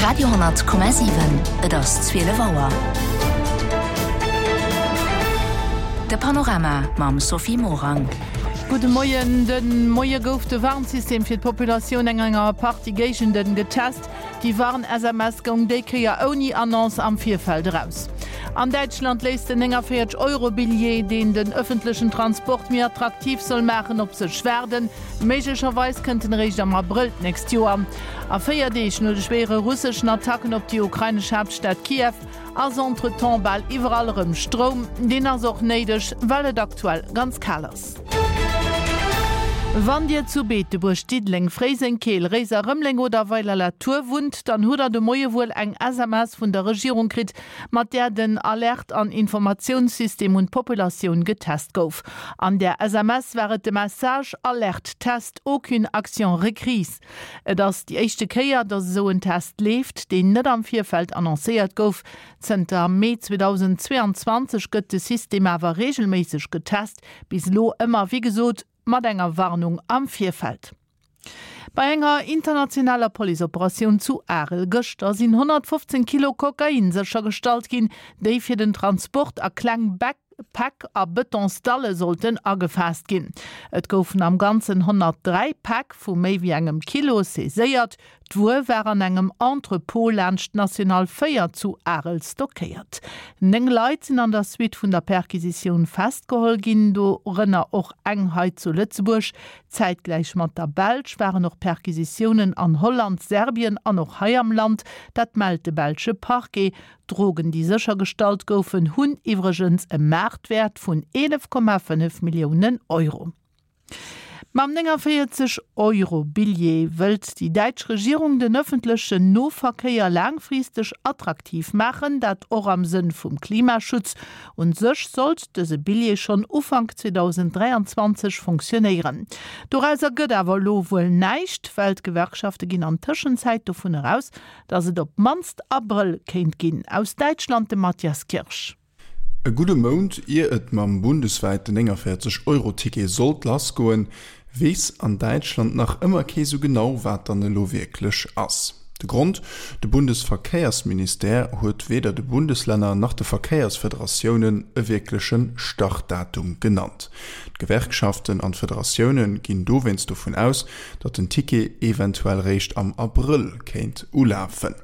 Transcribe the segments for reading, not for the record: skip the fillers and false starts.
Radio,7 Et ass 12 Auer. De Panorama mam Sophie Morang. Gudde Moien. De Moie gouf de Warnsystem fir d'Populatioun eng enger Partie Géigenden getest. Déi Warn-SMS goung déi Kéier ouni Annonce am Virfeld eraus. An Däitschland léisst den 49 Euro Billjee, deen den ëffentlechen Transport méi attraktiv soll maachen, op sech waarden. Méiglecherweis kënnt en eréischt am Abrëll d'nächst Joer. A 4 Deeg no de schwéiere russeschen Attacken op déi ukrainesch Haaptstad Kiew ass entretemps bal iwwerall erëm Stroum. Deen ass och néideg, well et aktuell ganz kal ass. Wann Dir zu Beetebuerg, Diddeleng, Fréiseng, Keel, Réiser, Rëmeleng oder Weiler-la-Tour wunnt, dann hutt der de Moie wuel eng SMS vun der Regierung kritt, mat där den Alert an Informatiounssystem un d'Populatioun getest gouf. An där SMS war et de Message, Alerte Test, aucune action requise. Et ass déi éischte Kéier, datt esou en Test leeft, deen net am Virfeld annoncéiert gouf. Zënter Mee 2022 gëtt de System awer reegelméisseg getest, bis elo ëmmer, wéi gesot, mat enger Warnung am Virfeld. Bei enger internationaler Policeoperatioun zu Arel gëschter sinn 115 Kilo Kokain séchergestallt ginn, déi fir den Transport a kleng Päck a Betonsdalle sollten agefaasst ginn. Et goufen am Ganzen 103 Päck vu méi wéi engem Kilo saiséiert. D'Wuer war an engem Entrepôt laanscht d'National 4 zu Arel stockéiert. 9 Leit sinn an der Suite vun der Perquisitioun festgeholl ginn, dorënner och eng hei zu Lëtzebuerg. Zäitgläich mat der Belsch waren och Perquisitiounen an Holland, Serbien an och hei am Land. Dat mellt de belsche Parquet. D'Drogen, déi séchergestallt goufen, hunn iwwregens e Maartwäert vun 11,5 Milliounen Euro. Mam 49 Euro Billjee wëllt déi däitsch Regierung den ëffentlechen Noverkéier laangfristeg attraktiv maachen, dat och am Sënn vum Klimaschutz. Un sech sollt dëse Billjee schonn Ufank 2023 fonctionnéieren. Dorauser gëtt awer elo wuel näischt, well d'Gewerkschafte ginn an Tëschenzäit dovun eraus, datt et op d'mannst Abrëll kéint ginn. Aus Däitschland de Matthias Kirsch. E gudde Mount ier et mam bundeswäiten 49 Euro Ticket sollt lassgoen, weess an Däitschland nach ëmmer kee sou genau wat dann elo wierklech ass. De Grond, De Bundesverkéiersministère huet weder de Bundeslänner nach de Verkéiersfederatiounen e wierkleche Startdatum genannt. D'Gewerkschaften an d'Federatioune ginn dowéinst dovun aus, datt den Ticket eventuell réischt am Abrëll kéint ulafen.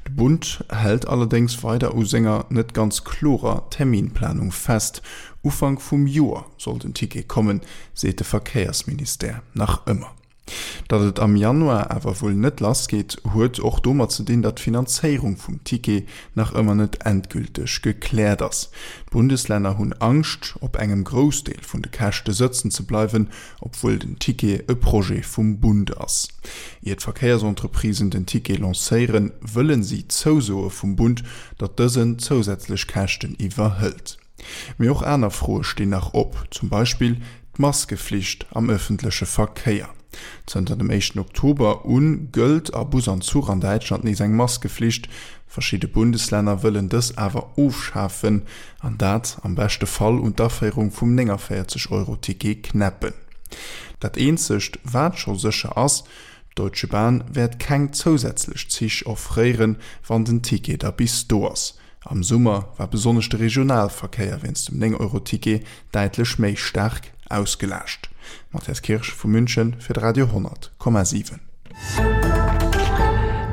De Bund hält allerdéngs weider u senger net ganz klorer Terminplanung fest. Ufank vum Joer soll den Ticket kommen, seet de Verkéiersministère nach ëmmer. Datt et am Januar awer wuel net lassgeet, huet och domat ze dinn, datt d'Finanzéierung vum Ticket nach ëmmer net endgülteg gekläert ass. D'Bundeslänner hunn Angscht, op engem Groussdeel vun de Käschte sëtzen ze bleiwen, obwuel den Ticket e Projet vum Bund ass. Ier d'Verkéiersentreprisen den Ticket lancéieren, wëllen si Zousoe vum Bund, datt dësen zousätzlech Käschten iwwerhëlt. Mee och aner Froe stinn nach op, zum Beispill d'Maskeflicht am ëffentleche Verkéier. Zënter dem éischten Oktober u gëllt a Bus an Zuch an Däitschland nees eng Maskeflicht. Verschidde Bundeslänner wëllen dës awer ofschafen. An dat am beschte Fall un d'Aféierung vum 49 Euro Ticket knäppen. Dat eenzegt wat scho sécher ass, d'Deutsche Bahn wäert keng zousätzlech Zich offréieren, wann den Ticket da bis do ass. Am Summer war besonnesch de Regionalverkéier wéinst dem 9 Euro Ticket däitlech méi staark ausgelaascht. Matthias Kirsch vu München fir de Radio 10,7.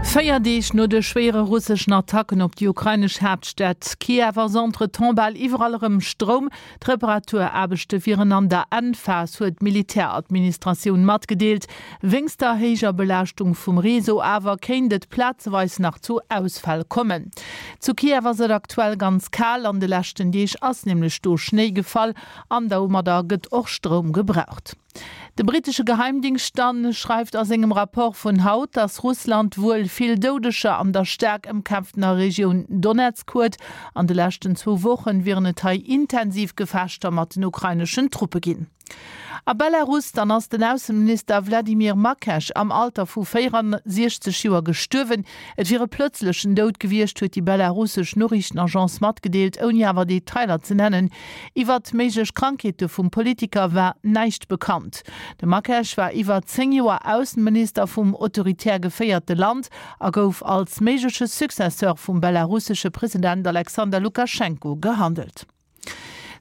4 Deeg no de schwéiere russeschen Attacken op déi ukrainesch Haaptstad Kiew ass entretemps bal iwwerall erëm Stroum. D'Reparaturaarbechte wieren an der Endphas, huet d'Militäradministratioun matgedeelt. Wéinst der héijer Belaaschtung vum Réseau awer kéint et plazeweis nach zu Ausfäll kommen. Zu Kiew ass et aktuell ganz kal, an de leschten Deeg ass nämlech do Schnéi gefall An domadder gëtt och Stroum gebraucht. De brittesche Geheimdingscht dann schreift a sengem Rapport vun haut, datt Russland wuel vill Doudeger an der staark ëmkämpftener Regioun Donezk huet. An de leschten zwou Wochen wieren et hei intensiv Gefechter mat den ukraineschen Truppe ginn. A Belarus dann ass den Ausseminister Wladimir Makesch am Alter vu 64 Joer gestuerwen. Et wier e plëtzlechen Doud gewiescht, huet déi belarussesch Noriichtenagence matgedeelt, ouni awer Detailer ze nennen. Iwwert méiglech Krankheete vum Politiker war näischt bekannt. De Makesch war iwwer 10 Joer Ausseminister vum autoritär geféierte Land a gouf als méigleche Successeur vum belarussesche President Alexander Lukaschenko gehandelt.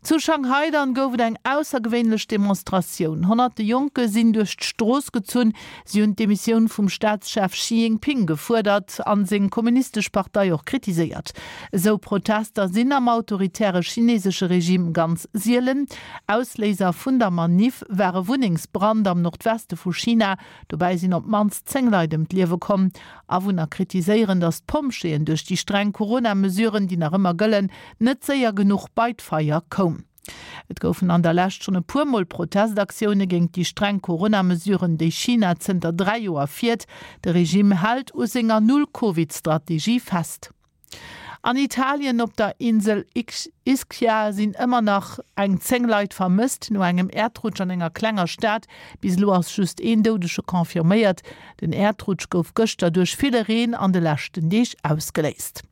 Zu Shanghai dann gouf et eng aussergewéinlech Demonstratioun. Honnerte Jonke sinn duerch d'Strooss gezunn. Si hunn d'Demissioun vum Staatschef Xi Jinping gefuerdert an seng kommunistesch Partei och kritiséiert. Esou Protester sinn am autoritäre chinesesche Regime ganz sielen. Ausléiser vun der Maniff war e Wunnengsbrand am Nordweste vu China. Dobäi sinn op d'mannst 10 Leit ëm d'Liewe komm. Awunner kritiséieren, datt d'Pompjeeën duerch déi streng Corona-Mesuren, déi nach ëmmer gëllen, net séier genuch bei d'Feier koum. Et goufen an der Lescht schonn e puer Mol Protestaktioune géint déi streng Corona-Mesuren, déi China zënter 3 Joer fiert. De Regime hält u senger Null-Covid-Strategie fest. An Italien op der Insel Ischia sinn ëmmer nach eng 10 Leit vermësst no engem Äerdrutsch an enger klenger Stad. Bis elo ass just een Doudege confirméiert. Den Äerdrutsch gouf gëschter duerch ville Reen an de leschten Deeg ausgeléist.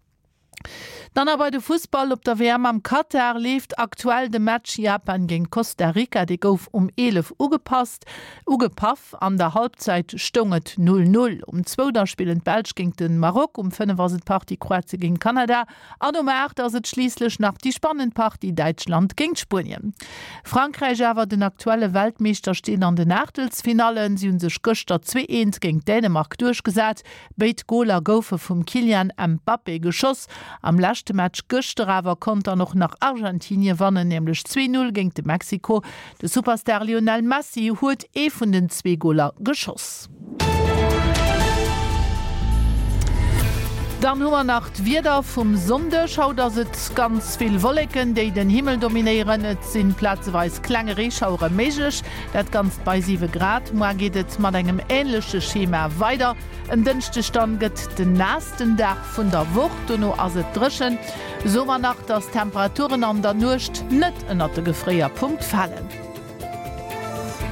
Dann a bei de Fussball, Op der WM am Katar leeft aktuell de Match Japan géint Costa Rica. Dee gouf um 11 ugepasst ugepaff. An der Halbzeit stoung et 0, 0. Um zwou da spillen d'Belsch géint de Maroc, um 5 ass et d'Partie Kroatie géint Kanada an um 8 ass et schliisslech nach déi spannend Partie Däitschland géint Spuenien. Frankräich awer, den aktuelle Weltmeeschter, steet an den Aachtelsfinallen. Si hu sech gëschter 2, 1 géint Dänemark duerchgesat. Béid Goler goufe vum Kylian Mbappé geschoss. Am leschte Match gëschter awer konnt dann och nach Argentinie wannen, nämlech 2, 0 géint de Mexiko. De Superstar Lionel Messi huet ee vun den zwee Goler geschoss. Dann hu mer nach d'Wieder vum Sonndeg. Haut ass et ganz vill Wolleken, déi den Himmel dominéieren. Et sinn plazeweis kleng Reeschauere méiglech, dat Ganzt bei 7 Grad. Moar geet et mat engem änleche Schema weider. En Dënschdeg dann gëtt den naassten Dag vun der Woch, dono ass et dréchen. Soe mer nach, dass d'Temperaturen an der Nuecht net ënnert de Gefréierpunkt falen.